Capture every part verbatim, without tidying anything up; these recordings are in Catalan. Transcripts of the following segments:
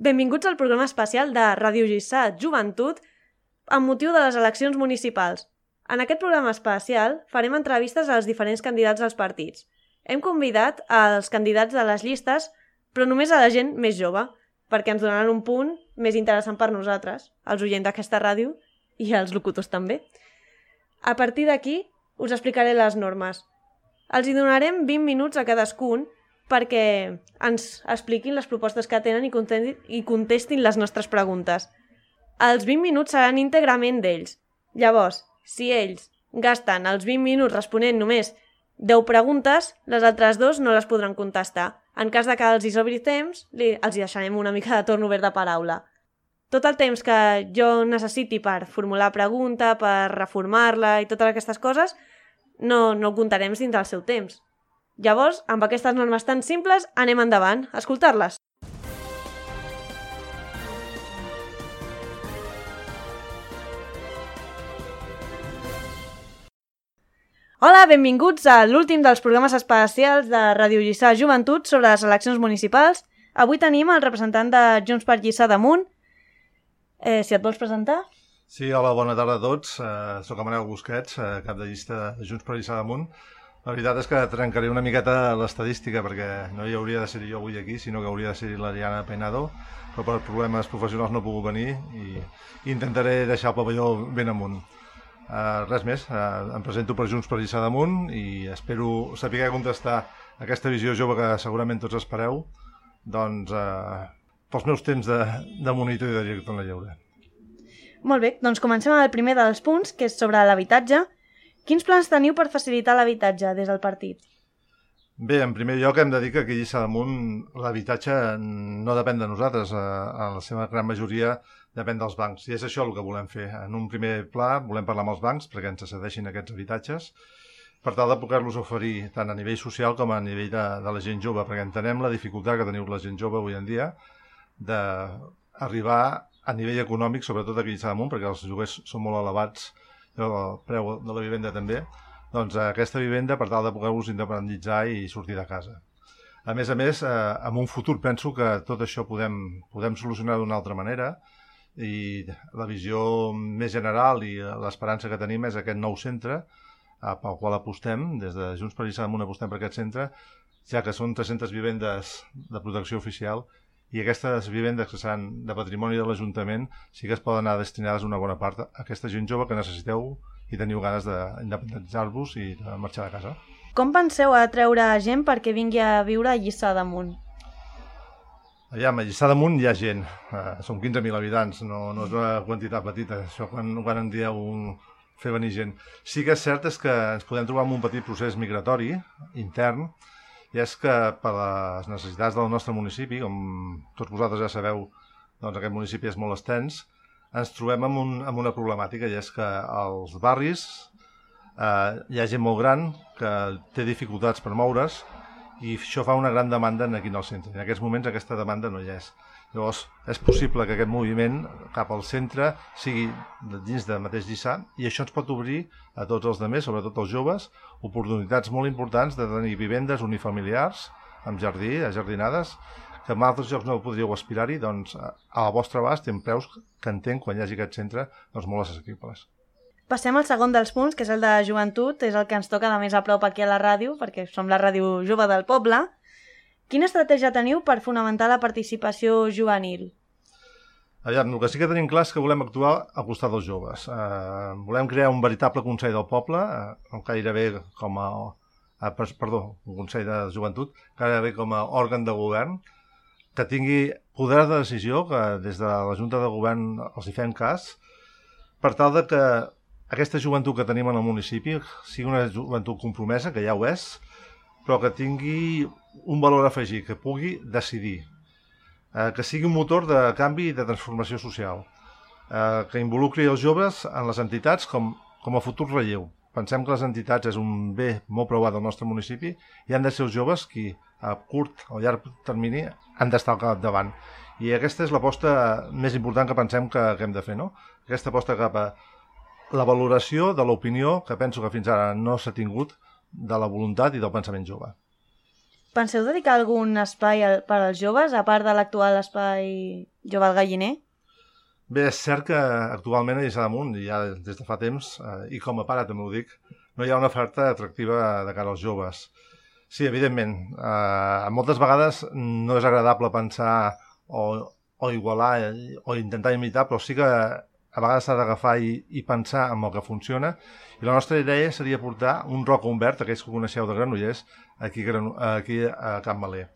Benvinguts al programa especial de Ràdio Lliçà Joventut amb motiu de les eleccions municipals. En aquest programa especial farem entrevistes als diferents candidats dels partits. Hem convidat als candidats de les llistes, però només a la gent més jove, perquè ens donaran un punt més interessant per nosaltres, els oients d'aquesta ràdio i els locutors també. A partir d'aquí us explicaré les normes. Els hi donarem vint minuts a cadascun perquè ens expliquin les propostes que tenen i contestin, i contestin les nostres preguntes. Els vint minuts seran íntegrament d'ells. Llavors, si ells gasten els vint minuts responent només deu preguntes, les altres dos no les podran contestar. En cas de que els hi sobri temps, li, els hi deixarem una mica de torn obert de paraula. Tot el temps que jo necessiti per formular pregunta, per reformar-la i totes aquestes coses, no, no ho comptarem dins del seu temps. Llavors, amb aquestes normes tan simples, anem endavant a escoltar-les. Hola, benvinguts a l'últim dels programes especials de Ràdio Lliçà Joventut sobre les eleccions municipals. Avui tenim el representant de Junts per Lliçà d'Amunt. Eh, si et vols presentar? Sí, hola, bona tarda a tots. Uh, soc Manel Busquets, uh, cap de llista de Junts per Lliçà d'Amunt. La veritat és que trencaré una miqueta l'estadística perquè no hi hauria de ser jo avui aquí, sinó que hauria de ser l'Ariana Peinado, però per problemes professionals no he pogut venir i intentaré deixar el pavelló ben amunt. Uh, res més, uh, em presento per Junts per Lliçà d'Amunt i espero saber contestar aquesta visió jove que segurament tots espereu, doncs uh, pels meus temps de, de monitor i de director en la lleure. Molt bé, doncs comencem amb el primer dels punts, que és sobre l'habitatge. Quins plans teniu per facilitar l'habitatge des del partit? Bé, en primer lloc hem de dir que aquí a Lliçà d'Amunt l'habitatge no depèn de nosaltres, en la seva gran majoria depèn dels bancs, i és això el que volem fer. En un primer pla volem parlar amb els bancs perquè ens cedeixin aquests habitatges per tal de poder-los oferir tant a nivell social com a nivell de, de la gent jove, perquè entenem la dificultat que teniu la gent jove avui en dia d'arribar a nivell econòmic, sobretot aquí a Lliçà d'Amunt, perquè els lloguers són molt elevats, el preu de la vivenda també, doncs aquesta vivenda per tal de poder-vos independitzar i sortir de casa. A més a més, eh, en un futur penso que tot això podem, podem solucionar d'una altra manera i la visió més general i l'esperança que tenim és aquest nou centre eh, pel qual apostem, des de Junts per Lliçà d'Amunt apostem per aquest centre, ja que són tres-centes vivendes de protecció oficial i aquestes vivendes que seran de patrimoni de l'Ajuntament sí que es poden anar destinades una bona part a aquesta gent jove que necessiteu i teniu ganes d'independitzar-vos i de marxar de casa. Com penseu atreure gent perquè vingui a viure a Lliçà d'Amunt? Aviam, a Lliçà d'Amunt hi ha gent, uh, som quinze mil habitants, no, no és una quantitat petita, això quan, quan en dieu un, fer venir gent. Sí que és cert és que ens podem trobar amb un petit procés migratori intern, i és que per les necessitats del nostre municipi, com tots vosaltres ja sabeu, doncs aquest municipi és molt extens, ens trobem amb, un, amb una problemàtica, i és que als barris eh, hi ha gent molt gran que té dificultats per moure's i això fa una gran demanda aquí en el centre. En aquests moments aquesta demanda no hi és. Llavors és possible que aquest moviment cap al centre sigui dins de mateix Lliçà i això ens pot obrir a tots els altres, sobretot els joves, oportunitats molt importants de tenir vivendes unifamiliars amb jardí, ajardinades, que en altres llocs no podríeu aspirar-hi, doncs al vostre abast i amb preus que entenc quan hi hagi aquest centre doncs molt assequibles. Passem al segon dels punts, que és el de joventut, és el que ens toca de més a prop aquí a la ràdio, perquè som la ràdio jove del poble. Quina estratègia teniu per fonamentar la participació juvenil? Aviam, el que sí que tenim clar és que volem actuar al costat dels joves. Eh, volem crear un veritable Consell del Poble, eh, gairebé com a... Eh, perdó, un Consell de Joventut, gairebé com a òrgan de govern, que tingui poder de decisió, que des de la Junta de Govern els hi fem cas, per tal de que aquesta joventut que tenim en el municipi sigui una joventut compromesa, que ja ho és, però que tingui un valor afegit, que pugui decidir, eh, que sigui un motor de canvi i de transformació social, eh, que involucri els joves en les entitats com, com a futur relleu. Pensem que les entitats és un bé molt preuat del nostre municipi i han de ser els joves qui a curt o llarg termini han d'estar al capdavant. I aquesta és l'aposta més important que pensem que, que hem de fer, no? Aquesta aposta cap a la valoració de l'opinió que penso que fins ara no s'ha tingut de la voluntat i del pensament jove. Penseu dedicar algun espai per als joves, a part de l'actual espai Jove al Galliner? Bé, és cert que actualment a Lliçà d'Amunt, i ja des de fa temps, eh, i com a pare també ho dic, no hi ha una oferta atractiva de cara als joves. Sí, evidentment, eh, moltes vegades no és agradable pensar o, o igualar o intentar imitar, però sí que a vegades s'ha d'agafar i, i pensar en el que funciona. I la nostra idea seria portar un Rock Humbert, aquells que coneixeu de Granollers, aquí, aquí a Can Maler.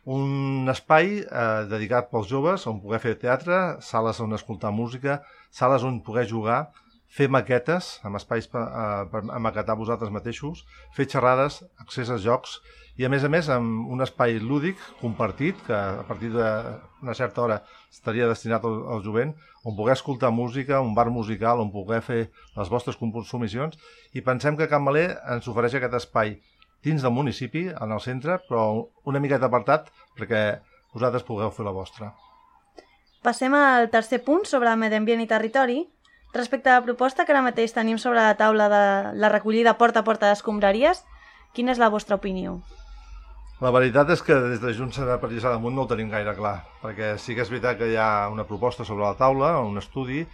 Un espai eh, dedicat pels joves on poder fer teatre, sales on escoltar música, sales on poder jugar, fer maquetes, amb espais per, eh, per maquetar vosaltres mateixos, fer xerrades, accés a jocs i, a més a més, amb un espai lúdic compartit, que a partir d'una certa hora estaria destinat al, al jovent, on poder escoltar música, un bar musical, on poder fer les vostres consumicions, i pensem que Can Maler ens ofereix aquest espai dins del municipi, en el centre, però una miqueta apartat perquè vosaltres pugueu fer la vostra. Passem al tercer punt sobre medi ambient i territori. Respecte a la proposta que ara mateix tenim sobre la taula de la recollida porta a porta d'escombraries, quina és la vostra opinió? La veritat és que des de Junts per Lliçà d'Amunt no ho tenim gaire clar, perquè sí que és veritat que hi ha una proposta sobre la taula, un estudi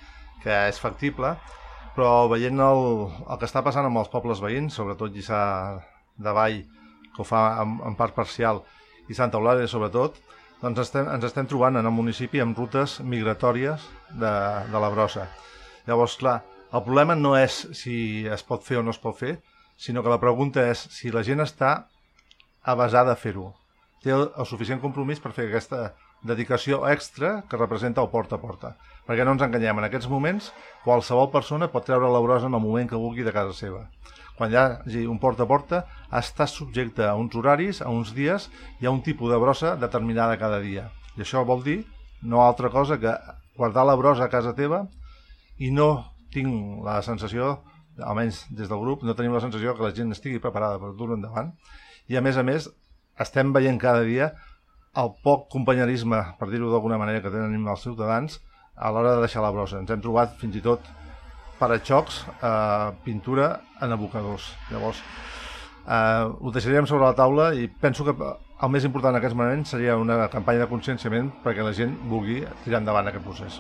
que és factible, però veient el, el que està passant amb els pobles veïns, sobretot Lliçà de Vall, que ho fa en, en part parcial, i Santa Eulàlia sobretot, doncs estem, ens estem trobant en el municipi amb rutes migratòries de, de la brossa. Llavors, clar, el problema no és si es pot fer o no es pot fer, sinó que la pregunta és si la gent està avasada a fer-ho. Té el, el suficient compromís per fer aquesta dedicació extra que representa el porta a porta. Perquè no ens enganyem, en aquests moments qualsevol persona pot treure la brossa en el moment que vulgui de casa seva. Quan hi hagi un porta a porta, està subjecte a uns horaris, a uns dies i a un tipus de brossa determinada cada dia. I això vol dir no altra cosa que guardar la brossa a casa teva, i no tinc la sensació, almenys des del grup, no tenim la sensació que la gent estigui preparada per dur-ho endavant. I a més a més, estem veient cada dia el poc companyerisme, per dir-ho d'alguna manera, que tenen els ciutadans a l'hora de deixar la brossa. Ens hem trobat fins i tot paraxocs, eh, pintura en abocadors. Llavors, eh, ho deixaríem sobre la taula i penso que el més important en aquests moments seria una campanya de conscienciament perquè la gent vulgui tirar endavant aquest procés.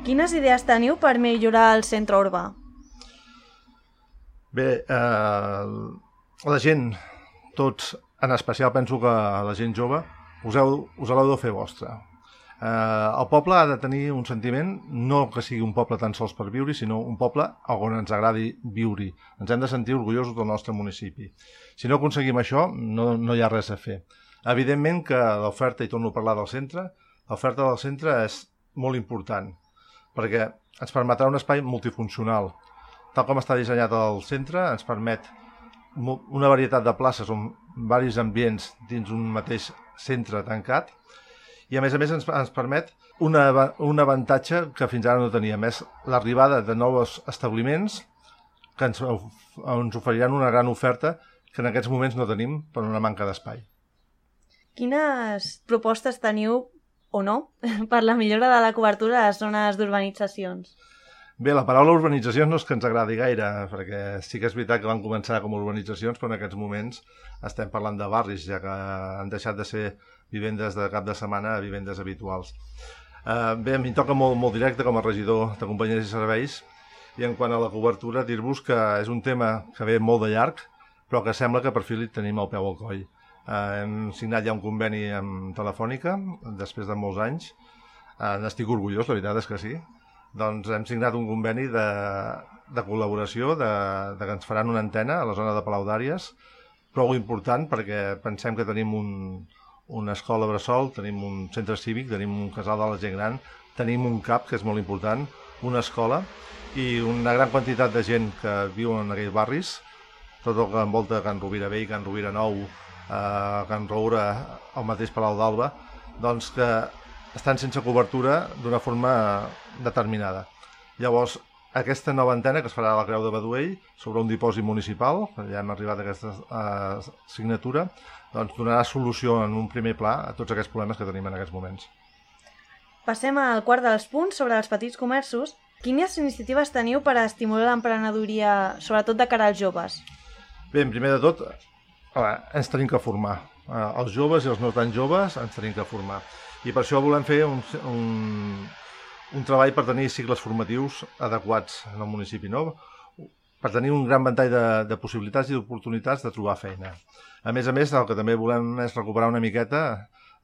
Quines idees teniu per millorar el centre urbà? Bé, eh, la gent, tots, en especial penso que la gent jove, us, heu, us l'heu de fer vostra. Eh, el poble ha de tenir un sentiment, no que sigui un poble tan sols per viure, sinó un poble on ens agradi viure. Ens hem de sentir orgullosos del nostre municipi. Si no aconseguim això, no, no hi ha res a fer. Evidentment que l'oferta, i torno a parlar del centre, l'oferta del centre és molt important, perquè ens permetrà un espai multifuncional. Tal com està dissenyat el centre, ens permet una varietat de places on diversos ambients dins un mateix centre tancat, i a més a més ens, ens permet una, un avantatge que fins ara no teníem, és l'arribada de nous establiments que ens, ens oferiran una gran oferta que en aquests moments no tenim per una manca d'espai. Quines propostes teniu, o no, per la millora de la cobertura a les zones d'urbanitzacions? Bé, la paraula urbanitzacions no és que ens agradi gaire, perquè sí que és veritat que van començar com a urbanitzacions, però en aquests moments estem parlant de barris, ja que han deixat de ser vivendes de cap de setmana a vivendes habituals. Eh, bé, a mi em toca molt, molt directe com a regidor de companyies i serveis, i en quant a la cobertura, dir-vos que és un tema que ve molt de llarg, però que sembla que per fi li tenim el peu al coll. Eh, hem signat ja un conveni amb Telefònica, després de molts anys. Eh, n'estic orgullós, la veritat és que sí. Doncs hem signat un conveni de, de col·laboració, de, de que ens faran una antena a la zona de Palau d'Àries, prou important perquè pensem que tenim un, una escola bressol, tenim un centre cívic, tenim un casal de la gent gran, tenim un CAP, que és molt important, una escola i una gran quantitat de gent que viu en aquells barris, tot el que envolta Can Rovira Vell, Can Rovira Nou, eh, Can Roura, el mateix Palau d'Alba, doncs que estan sense cobertura d'una forma determinada. Llavors, aquesta nova antena que es farà a la Creu de Baduell sobre un dipòsit municipal, ja hem arribat a aquesta eh, signatura, doncs donarà solució en un primer pla a tots aquests problemes que tenim en aquests moments. Passem al quart dels punts sobre els petits comerços. Quines iniciatives teniu per estimular l'emprenedoria, sobretot de cara als joves? Bé, primer de tot, ens tenim que formar. Els joves i els no tan joves ens tenim que formar. I per això volem fer un, un, un treball per tenir cicles formatius adequats en el municipi, no? Per tenir un gran ventall de, de possibilitats i d'oportunitats de trobar feina. A més a més, el que també volem és recuperar una miqueta,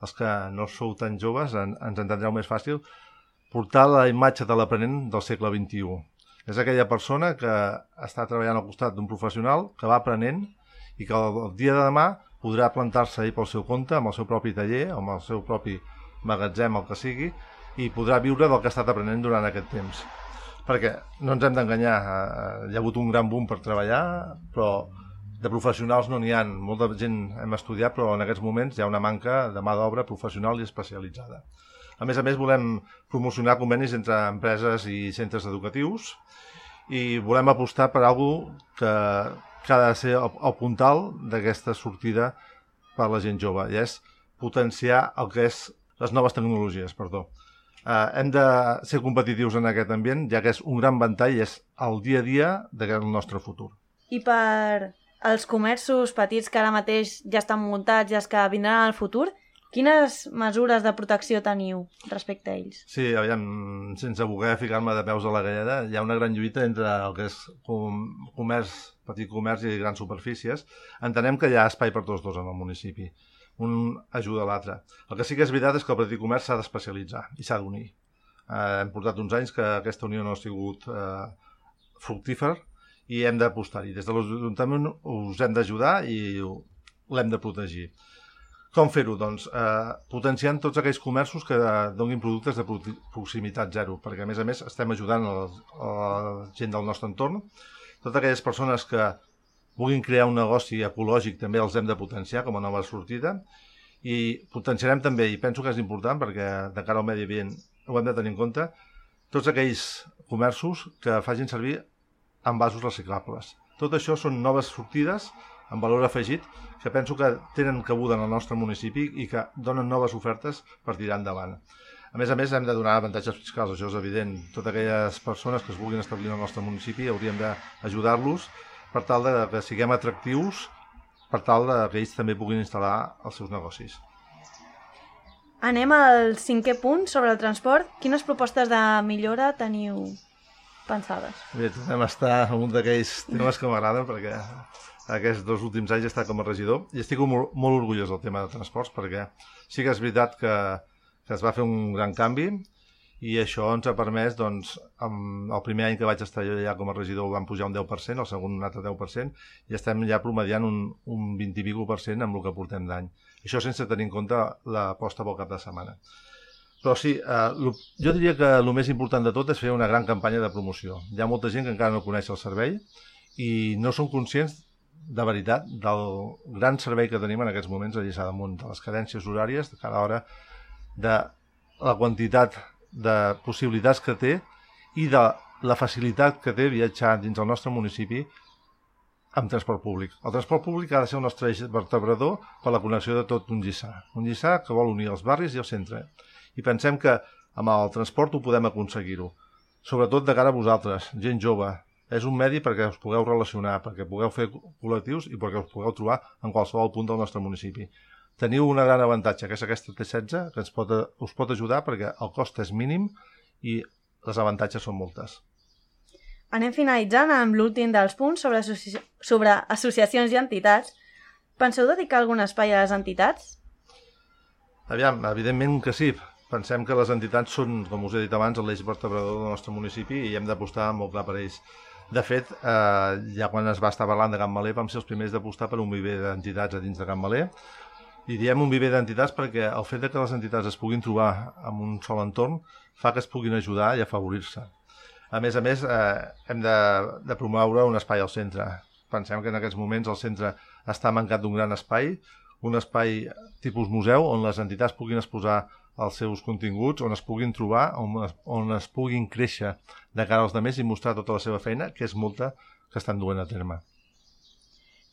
els que no sou tan joves, en, ens entendreu més fàcil, portar la imatge de l'aprenent del segle vint-i-u. És aquella persona que està treballant al costat d'un professional, que va aprenent i que el, el dia de demà podrà plantar-se ell pel seu compte, amb el seu propi taller, amb el seu propi magatzem, el que sigui, i podrà viure del que ha estat aprenent durant aquest temps. Perquè no ens hem d'enganyar, hi ha hagut un gran boom per treballar, però de professionals no n'hi ha. Molta gent hem estudiat, però en aquests moments hi ha una manca de mà d'obra professional i especialitzada. A més a més, volem promocionar convenis entre empreses i centres educatius i volem apostar per alguna cosa que, que ha de ser el, el puntal d'aquesta sortida per la gent jove, i és potenciar el que és les noves tecnologies, perdó. Uh, hem de ser competitius en aquest ambient, ja que és un gran ventall i és el dia a dia del nostre futur. I per als comerços petits que ara mateix ja estan muntats i els que vindran al futur, quines mesures de protecció teniu respecte a ells? Sí, aviam, sense voler ficar-me de peus a la galleda, hi ha una gran lluita entre el que és com, comerç, petit comerç i grans superfícies. Entenem que hi ha espai per tots dos en el municipi. Un ajuda a l'altre. El que sí que és veritat és que el petit comerç s'ha d'especialitzar i s'ha d'unir. Eh, hem portat uns anys que aquesta unió no ha sigut eh, fructífer i hem d'apostar-hi. Des de l'Ajuntament us hem d'ajudar i l'hem de protegir. Com fer-ho? Doncs eh, potenciant tots aquells comerços que donin productes de proximitat zero, perquè a més a més estem ajudant a la, a la gent del nostre entorn. Totes aquelles persones que vulguin crear un negoci ecològic també els hem de potenciar com a nova sortida i potenciarem també, i penso que és important perquè de cara al medi ambient ho hem de tenir en compte, tots aquells comerços que facin servir envasos reciclables. Tot això són noves sortides amb valor afegit que penso que tenen cabuda en el nostre municipi i que donen noves ofertes per tirar endavant. A més a més, hem de donar avantatges fiscals, això és evident. Totes aquelles persones que es vulguin establir en el nostre municipi hauríem d'ajudar-los per tal de que siguem atractius, per tal de que ells també puguin instal·lar els seus negocis. Anem al cinquè punt sobre el transport. Quines propostes de millora teniu pensades? Bé, tornem a estar en un d'aquells temes que m'agraden perquè aquests dos últims anys he estat com a regidor i estic molt, molt orgullós del tema de transports perquè sí que és veritat que, que es va fer un gran canvi i això ens ha permès, doncs, amb el primer any que vaig estar jo ja com a regidor van pujar un deu per cent, el segon un altre deu per cent, i estem ja promediant un, un vint i escaig per cent amb el que portem d'any. Això sense tenir en compte l'aposta pel cap de setmana. Però sí, eh, lo, jo diria que el més important de tot és fer una gran campanya de promoció. Hi ha molta gent que encara no coneix el servei i no són conscients de veritat del gran servei que tenim en aquests moments a Lliçà d'Amunt, de les cadències horàries de cada hora, de la quantitat de possibilitats que té i de la facilitat que té viatjar dins el nostre municipi amb transport públic. El transport públic ha de ser el nostre eix vertebrador per la connexió de tot un Lliçà. Un Lliçà que vol unir els barris i el centre. I pensem que amb el transport ho podem aconseguir-ho. Sobretot de cara a vosaltres, gent jove. És un medi perquè us pugueu relacionar, perquè pugueu fer col·lectius i perquè us pugueu trobar en qualsevol punt del nostre municipi. Teniu un gran avantatge, que és aquesta T setze, que ens pot, us pot ajudar perquè el cost és mínim i les avantatges són moltes. Anem finalitzant amb l'últim dels punts sobre, associ... sobre associacions i entitats. Penseu dedicar algun espai a les entitats? Aviam, evidentment que sí. Pensem que les entitats són, com us he dit abans, l'eix vertebrador del nostre municipi i hem d'apostar molt clar per ells. De fet, eh, ja quan es va estar parlant de Can Maler vam ser els primers d'apostar per un viver d'entitats a dins de Can Maler. I diem un viver d'entitats perquè el fet de que les entitats es puguin trobar en un sol entorn fa que es puguin ajudar i afavorir-se. A més a més, eh, hem de, de promoure un espai al centre. Pensem que en aquests moments el centre està mancat d'un gran espai, un espai tipus museu on les entitats puguin exposar els seus continguts, on es puguin trobar, on es, on es puguin créixer de cara als altres i mostrar tota la seva feina, que és molta que estan duent a terme.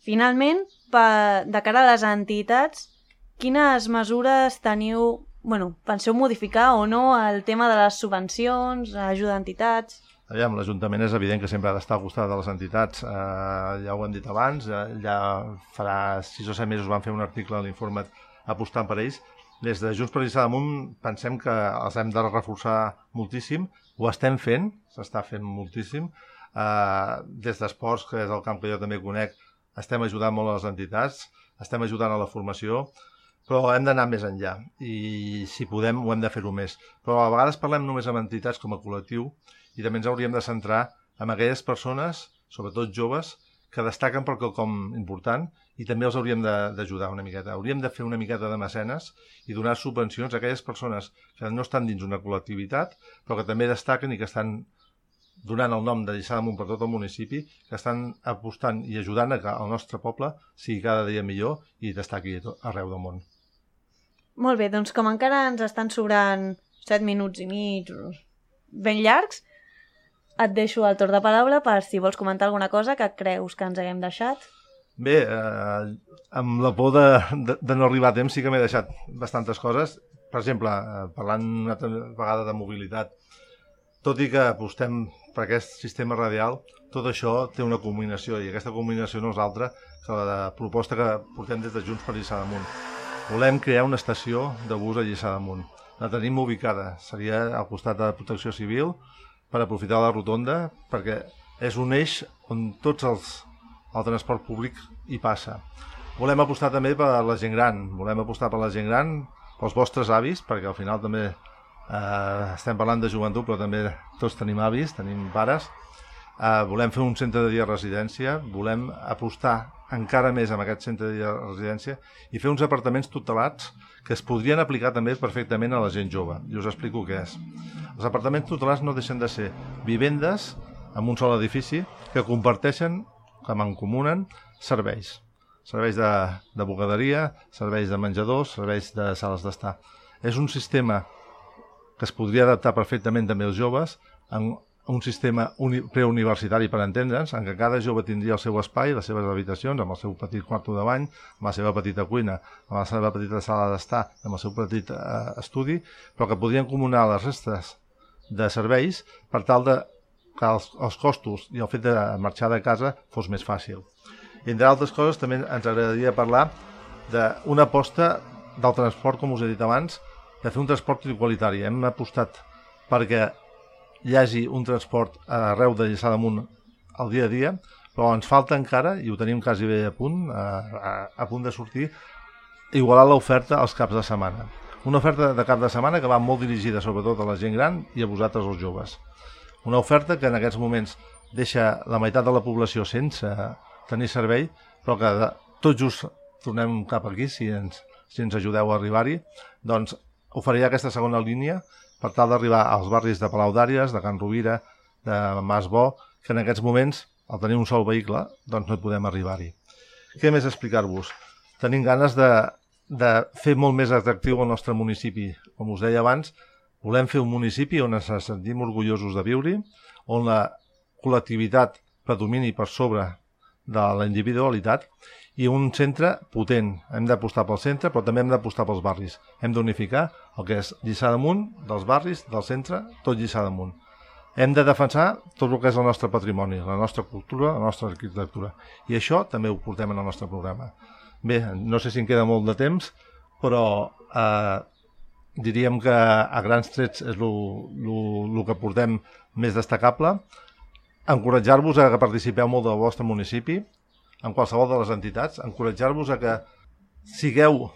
Finalment, per, de cara a les entitats, quines mesures teniu, bueno, penseu modificar o no el tema de les subvencions, ajuda a entitats? Aviam, l'Ajuntament és evident que sempre ha d'estar al costat de les entitats. Eh, ja ho hem dit abans, eh, ja farà sis o set mesos van fer un article a l'Informat apostant per ells. Des de Junts per Lliçà d'Amunt pensem que els hem de reforçar moltíssim. Ho estem fent, s'està fent moltíssim. Eh, des d'esports, que és el camp que jo també conec, estem ajudant molt a les entitats, estem ajudant a la formació, però hem d'anar més enllà i si podem ho hem de fer-ho més. Però a vegades parlem només amb entitats com a col·lectiu i també ens hauríem de centrar en aquelles persones, sobretot joves, que destaquen per quelcom important i també els hauríem d'ajudar una miqueta. Hauríem de fer una miqueta de mecenes i donar subvencions a aquelles persones que no estan dins una col·lectivitat, però que també destaquen i que estan donant el nom de Lliçà d'Amunt per tot el municipi, que estan apostant i ajudant a que el nostre poble sigui cada dia millor i destaqui arreu del món. Molt bé, doncs com encara ens estan sobrant set minuts i mig ben llargs, et deixo el torn de paraula per si vols comentar alguna cosa que creus que ens haguem deixat. Bé, eh, amb la por de, de, de no arribar a temps sí que m'he deixat bastantes coses. Per exemple, eh, parlant una vegada de mobilitat, tot i que apostem per aquest sistema radial, tot això té una combinació i aquesta combinació no és altra que la proposta que portem des de Junts per Lliçà d'Amunt. Volem crear una estació de bus a Lliçà d'Amunt. La tenim ubicada, seria al costat de Protecció Civil, per aprofitar la rotonda, perquè és un eix on tots els el transport públic hi passa. Volem apostar també per la gent gran, volem apostar per la gent gran, pels vostres avis, perquè al final també eh, estem parlant de joventut, però també tots tenim avis, tenim pares. Eh, volem fer un centre de dia de residència, volem apostar encara més amb aquest centre de dia de residència i fer uns apartaments tutelats que es podrien aplicar també perfectament a la gent jove. I us explico què és. Els apartaments tutelats no deixen de ser vivendes en un sol edifici que comparteixen, que mancomunen, serveis. Serveis de, de bugaderia, serveis de menjadors, serveis de sales d'estar. És un sistema que es podria adaptar perfectament també als joves en un sistema preuniversitari, per entendre'ns, en què cada jove tindria el seu espai, les seves habitacions, amb el seu petit quarto de bany, amb la seva petita cuina, amb la seva petita sala d'estar, amb el seu petit eh, estudi, però que podrien comunar les restes de serveis per tal de que els, els costos i el fet de marxar de casa fos més fàcil. I, entre altres coses, també ens agradaria parlar d'una aposta del transport, com us he dit abans, de fer un transport igualitari. Hem apostat perquè hi hagi un transport arreu de Lliçà d'Amunt al dia a dia, però ens falta encara, i ho tenim quasi bé a punt, a, a, a punt de sortir, igualar l'oferta als caps de setmana. Una oferta de cap de setmana que va molt dirigida sobretot a la gent gran i a vosaltres els joves. Una oferta que en aquests moments deixa la meitat de la població sense tenir servei, però que de, tot just tornem cap aquí, si ens, si ens ajudeu a arribar-hi, doncs oferirà aquesta segona línia per tal d'arribar als barris de Palau d'Àries, de Can Rovira, de Mas Bo, que en aquests moments, al tenir un sol vehicle, doncs no podem arribar-hi. Què més explicar-vos? Tenim ganes de, de fer molt més atractiu el nostre municipi. Com us deia abans, volem fer un municipi on ens sentim orgullosos de viure-hi, on la col·lectivitat predomini per sobre de la individualitat i un centre potent. Hem d'apostar pel centre, però també hem d'apostar pels barris. Hem d'unificar el que és Lliçà d'Amunt, dels barris, del centre, tot Lliçà d'Amunt. Hem de defensar tot el que és el nostre patrimoni, la nostra cultura, la nostra arquitectura. I això també ho portem en el nostre programa. Bé, no sé si em queda molt de temps, però eh, diríem que a grans trets és el que portem més destacable. Encoratjar-vos a que participeu molt del vostre municipi, en qualsevol de les entitats, encoratjar-vos a que sigueu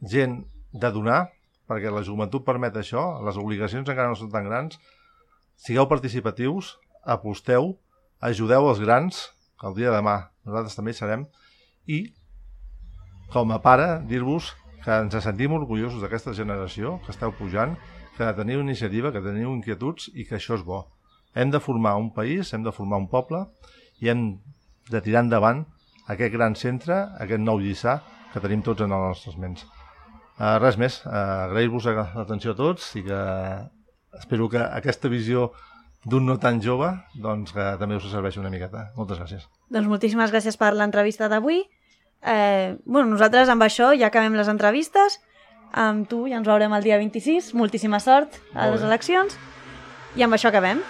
gent de donar, perquè la joventut permet això, les obligacions encara no són tan grans, sigueu participatius, aposteu, ajudeu els grans, que el dia de demà nosaltres també hi serem, i com a pare dir-vos que ens sentim orgullosos d'aquesta generació, que esteu pujant, que teniu iniciativa, que teniu inquietuds i que això és bo. Hem de formar un país, hem de formar un poble i hem de tirar endavant aquest gran centre, aquest nou Lliçà que tenim tots en les nostres ments. Uh, res més, uh, agrair-vos l'atenció a tots i que espero que aquesta visió d'un no tan jove doncs que també us serveixi una miqueta. Moltes gràcies. Doncs moltíssimes gràcies per l'entrevista d'avui. Eh, bueno, nosaltres amb això ja acabem les entrevistes. Amb tu ja ens veurem el dia vint-i-sis. Moltíssima sort a les eleccions. I amb això acabem.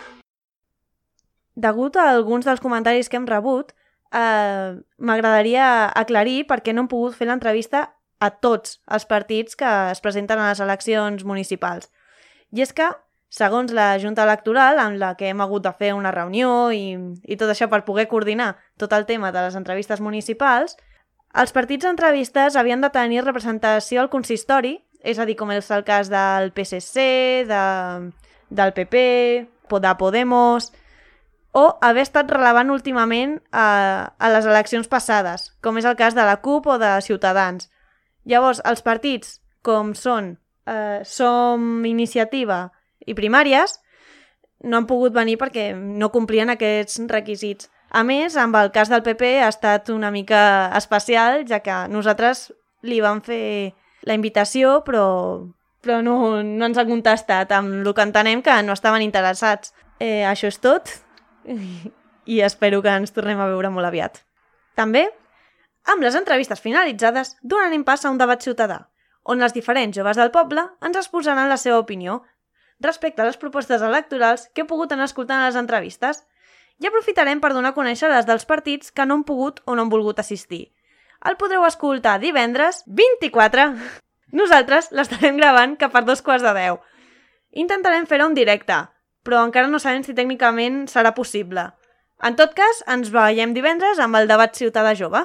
degut a alguns dels comentaris que hem rebut, eh, m'agradaria aclarir per què no hem pogut fer l'entrevista a tots els partits que es presenten a les eleccions municipals. I és que, segons la Junta Electoral, amb la que hem hagut de fer una reunió i, i tot això per poder coordinar tot el tema de les entrevistes municipals, els partits entrevistes havien de tenir representació al consistori, és a dir, com és el cas del P S C, de, del P P, de Podemos, o haver estat relevant últimament a, a les eleccions passades, com és el cas de la CUP o de Ciutadans. Llavors, els partits, com són eh, Som Iniciativa i Primàries, no han pogut venir perquè no complien aquests requisits. A més, amb el cas del P P ha estat una mica especial, ja que nosaltres li vam fer la invitació, però, però no, no ens ha contestat, amb el que entenem que no estaven interessats. Eh, això és tot i espero que ens tornem a veure molt aviat. També, amb les entrevistes finalitzades, donarem pas a un debat ciutadà, on els diferents joves del poble ens exposaran la seva opinió respecte a les propostes electorals que he pogut anar escoltant a les entrevistes. I aprofitarem per donar a conèixer les dels partits que no han pogut o no han volgut assistir. El podreu escoltar divendres vint-i-quatre. Nosaltres l'estarem gravant cap a dos quarts de deu. Intentarem fer-ho en directe, però encara no sabem si tècnicament serà possible. En tot cas, ens veiem divendres amb el debat ciutadà jove.